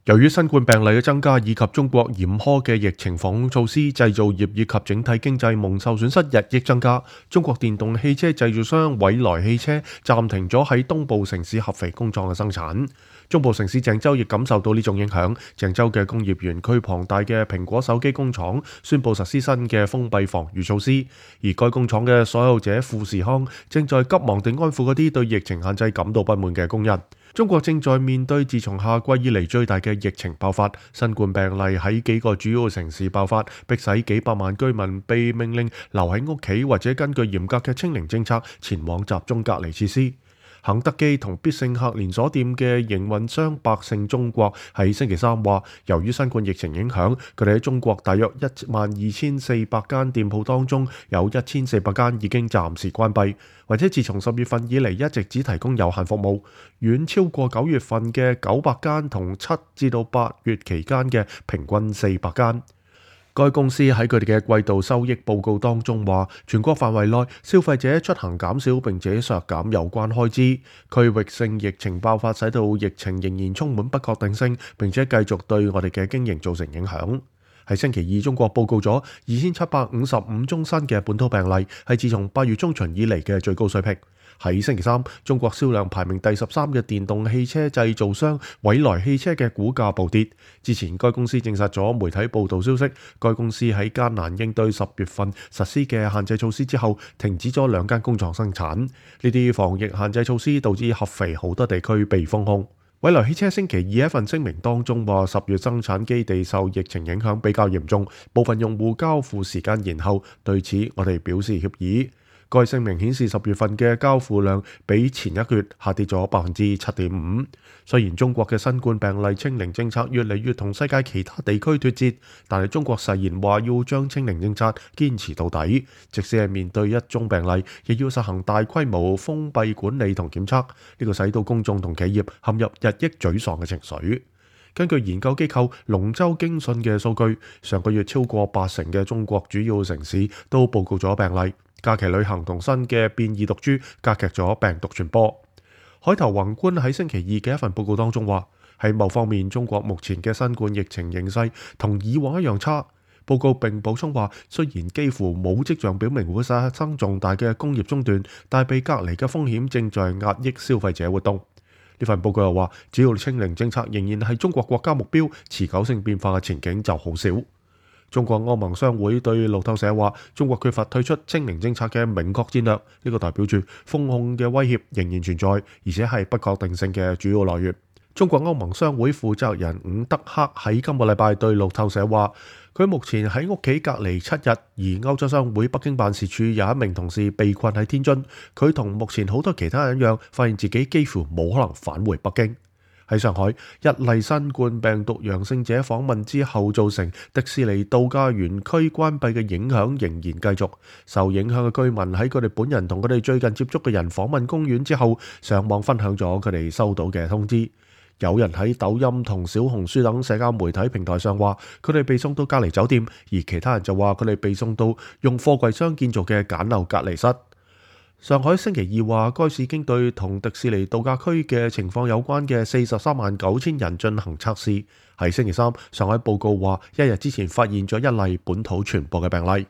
由於新冠病例嘅增加以及中國嚴苛嘅疫情防控措施，製造業以及整體經濟蒙受損失日益增加。中國電動汽車製造商蔚來汽車暫停咗喺東部城市合肥工廠嘅生產。中部城市鄭州亦感受到呢種影響。鄭州嘅工業園區龐大嘅蘋果手機工廠宣布實施新嘅封閉防禦措施，而該工廠嘅所有者富士康正在急忙地安撫嗰啲對疫情限制感到不滿嘅工人。中國正在面對自從夏季以嚟最大嘅疫情爆發，新冠病例喺幾個主要城市爆發，迫使幾百萬居民被命令留喺屋企，或者根據嚴格嘅清零政策前往集中隔離設施。肯德基同必勝客連鎖店嘅營運商百勝中國喺星期三話，由於新冠疫情影響，佢哋喺中國大約12,400間店鋪當中，有1400間已經暫時關閉，或者自從10月份以嚟一直只提供有限服務，遠超過9月份嘅900間同7至到8月期間嘅平均400間。該公司喺佢哋嘅季度收益報告當中話，全國範圍內消費者出行減少並且削減有關開支。區域性疫情爆發使到疫情仍然充滿不確定性，並且繼續對我哋嘅經營造成影響。喺星期二，中國報告咗2755宗新嘅本土病例，係自從8月中旬以嚟嘅最高水平。喺星期三，中國銷量排名第13嘅電動汽車製造商蔚來汽車嘅股價暴跌。之前該公司證實咗媒體報道消息，該公司喺艱難應對10月份實施嘅限制措施之後，停止咗2間工廠生產。呢啲防疫限制措施導致合肥好多地區被封控。蔚來汽車星期二喺一份聲明當中話，10月生產基地受疫情影響比較嚴重，部分用戶交付時間延後，對此我哋表示歉意。該聲明顯示10月份嘅交付量比前一個月下跌咗7.5%。雖然中國嘅新冠病例清零政策越嚟越同世界其他地區脫節，但係中國誓言話要將清零政策堅持到底，即使係面對一宗病例，亦要實行大規模封閉管理同檢測。呢個使到公眾同企業陷入日益沮喪嘅情緒。根據研究機構龍舟經訊嘅數據，上個月超過80%嘅中國主要城市都報告咗病例。假期旅行同新嘅變異毒株加劇咗病毒傳播。海頭宏觀喺星期二嘅一份報告當中話，喺某方面中國目前嘅新冠疫情形勢同以往一樣差。報告並補充話，雖然幾乎冇跡象表明會發生重大嘅工業中斷，但被隔離嘅風險正在壓抑消費者活動。呢份報告又話，只要清零政策仍然係中國國家目標，持久性變化嘅前景就好少。中國歐盟商會對路透社話，中國缺乏退出清零政策嘅明確戰略，呢個代表住封控嘅威脅仍然存在，而且係不確定性嘅主要來源。中國歐盟商會負責人伍德克喺今個禮拜對路透社話，佢目前喺屋企隔離7日，而歐洲商會北京辦事處有一名同事被困喺天津，佢同目前好多其他人一樣，發現自己幾乎冇可能返回北京。喺上海，一例新冠病毒陽性者訪問之後造成迪士尼度假園區關閉嘅影響仍然繼續。受影響嘅居民喺佢哋本人同佢哋最近接觸嘅人訪問公園之後，上網分享咗佢哋收到嘅通知。有人喺抖音同小紅書等社交媒體平台上話，佢哋被送到隔離酒店，而其他人就話佢哋被送到用貨櫃箱建造嘅簡陋隔離室。上海星期二話，該市已經對同迪士尼度假區嘅情況有關嘅439000人進行測試。喺星期三，上海報告話，一日之前發現咗一例本土傳播嘅病例。